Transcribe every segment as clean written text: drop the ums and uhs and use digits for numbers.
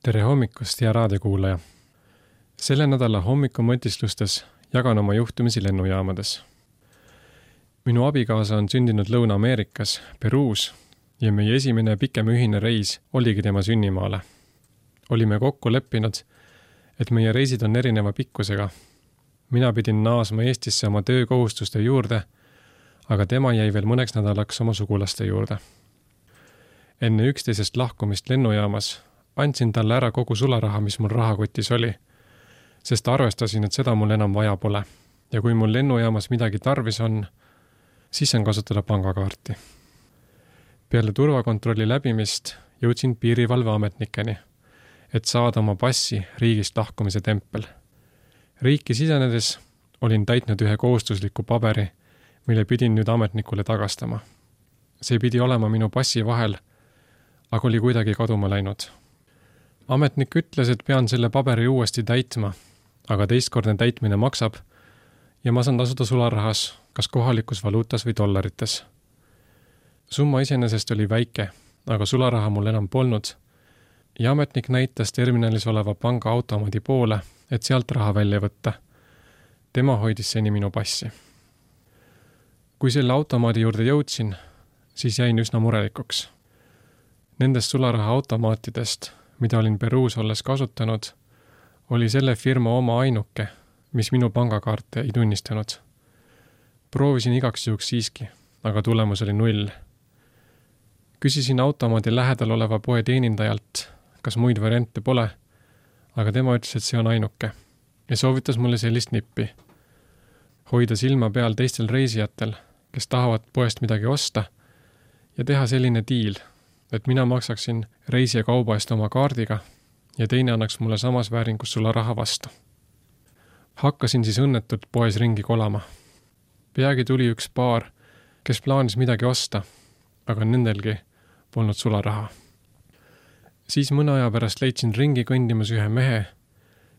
Tere hommikust, hea raadiokuulaja! Selle nädala hommikumõtislustes jagan oma juhtumisi lennujaamades. Minu abikaasa on sündinud Lõuna-Ameerikas, Peruus, ja meie esimene pikem ühine reis oligi tema sünnimaale. Olime kokku leppinud, et meie reisid on erineva pikkusega. Mina pidin naasma Eestisse oma töökohustuste juurde, aga tema jäi veel mõneks nädalaks oma sugulaste juurde. Enne üksteisest lahkumist lennujaamas andsin talle ära kogu sularaha, mis mul rahakotis oli, sest arvestasin, et seda mul enam vaja pole. Ja kui mul lennujaamas midagi tarvis on, siis saan kasutada pangakaarti. Peale turvakontrolli läbimist jõudsin piirivalveametnikeni, et saada oma passi riigist lahkumise tempel. Riiki sisenedes olin täitnud ühe kohustusliku paberi, mille pidin nüüd ametnikule tagastama. See pidi olema minu passi vahel, aga oli kuidagi kaduma läinud. Ametnik ütles, et pean selle paberi uuesti täitma, aga teistkordne täitmine maksab ja ma saan tasuda sularahas, kas kohalikus valuutas või dollarites. Summa iseenesest oli väike, aga sularaha mul enam polnud ja ametnik näitas terminalis oleva panga automaadi poole, et sealt raha välja võtta. Tema hoidis seni minu passi. Kui selle automaadi juurde jõudsin, siis jäin üsna murelikuks. Nendest sularaha automaatidest, mida olin Peruus olles kasutanud, oli selle firma oma ainuke, mis minu pangakaarte ei tunnistanud. Proovisin igaks juhuks siiski, aga tulemus oli 0. Küsisin automaadi lähedal oleva poe teenindajalt, kas muid variante pole, aga tema ütles, et see on ainuke ja soovitas mulle sellist nippi. Hoida silma peal teistel reisijatel, kes tahavad poest midagi osta ja teha selline diil, et mina maksaksin reisija kauba eest oma kaardiga ja teine annaks mulle samas vääringus sularaha vastu. Hakkasin siis õnnetult poes ringi kolama. Peagi tuli üks paar, kes plaanis midagi osta, aga nendelgi polnud sularaha. Siis mõne aja pärast leidsin ringi kõndimas ühe mehe,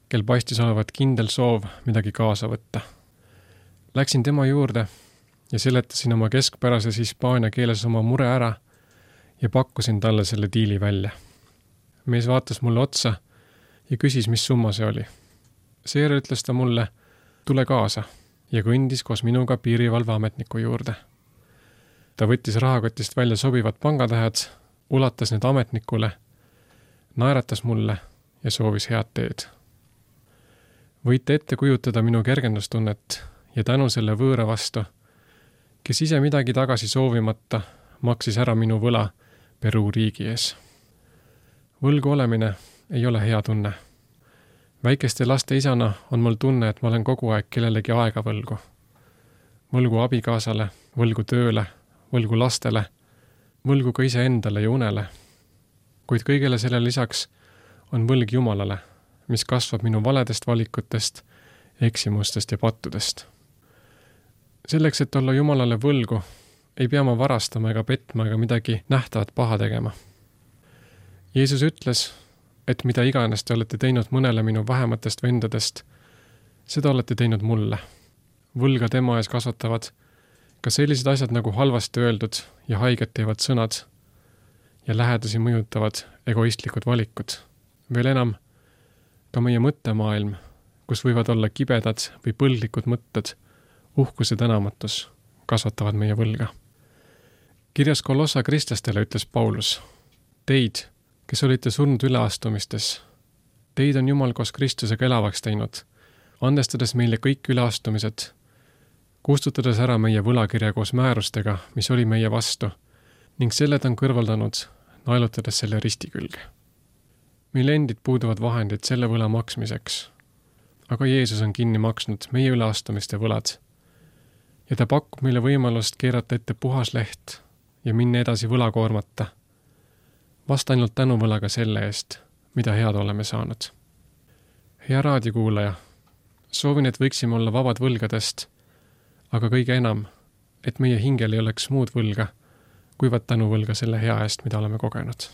kel paistis olevat kindel soov midagi kaasa võtta. Läksin tema juurde ja seletasin oma keskpärases hispaania keeles oma mure ära ja pakkusin talle selle diili välja. Mees vaatas mulle otsa ja küsis, mis summa see oli. Seejärel ütles ta mulle, tule kaasa ja kõndis koos minuga piirivalveametniku juurde. Ta võttis rahakotist välja sobivad pangatähed, ulatas need ametnikule, naeratas mulle ja soovis head teed. Võite ette kujutada minu kergendustunnet ja tänu selle võõra vastu, kes ise midagi tagasi soovimata maksis ära minu võla Peru riigi ees. Võlgu olemine ei ole hea tunne. Väikeste laste isana on mul tunne, et ma olen kogu aeg kellelegi aega võlgu. Võlgu abikaasale, võlgu tööle, võlgu lastele, võlgu ka iseendale ja unele. Kuid kõigele selle lisaks on võlg Jumalale, mis kasvab minu valedest valikutest, eksimustest ja pattudest. Selleks, et olla Jumalale võlgu, ei pea ma varastama ega petma ega midagi nähtavat paha tegema. Jeesus ütles, et mida iganes te olete teinud mõnele minu vähematest vendadest, seda olete teinud mulle. Võlga tema ees kasvatavad ka sellised asjad nagu halvasti öeldud ja haiget teevad sõnad ja lähedasi mõjutavad egoistlikud valikud. Veel enam, ka meie mõttemaailm, kus võivad olla kibedad või põldlikud mõtted, uhkus ja tänamatus kasvatavad meie võlga. Kirjas Kolossa kristlastele ütles Paulus, teid, kes olite surnud üleastumistes, teid on Jumal koos Kristusega elavaks teinud, andestades meile kõik üleastumised, kustutades ära meie võlakirja koos määrustega, mis oli meie vastu, ning selle ta on kõrvaldanud, naelutades selle risti külge. Meil endid puuduvad vahendid selle võla maksmiseks, aga Jeesus on kinni maksnud meie üleastumiste võlad ja ta pakub meile võimalust keerata ette puhas leht ja minna edasi võlakoormata. Vast ainult tänuvõlaga selle eest, mida head oleme saanud. Hea raadiokuulaja, soovin, et võiksime olla vabad võlgadest, aga kõige enam, et meie hingel ei oleks muud võlga, kuivad tänuvõlga selle hea eest, mida oleme kogenud.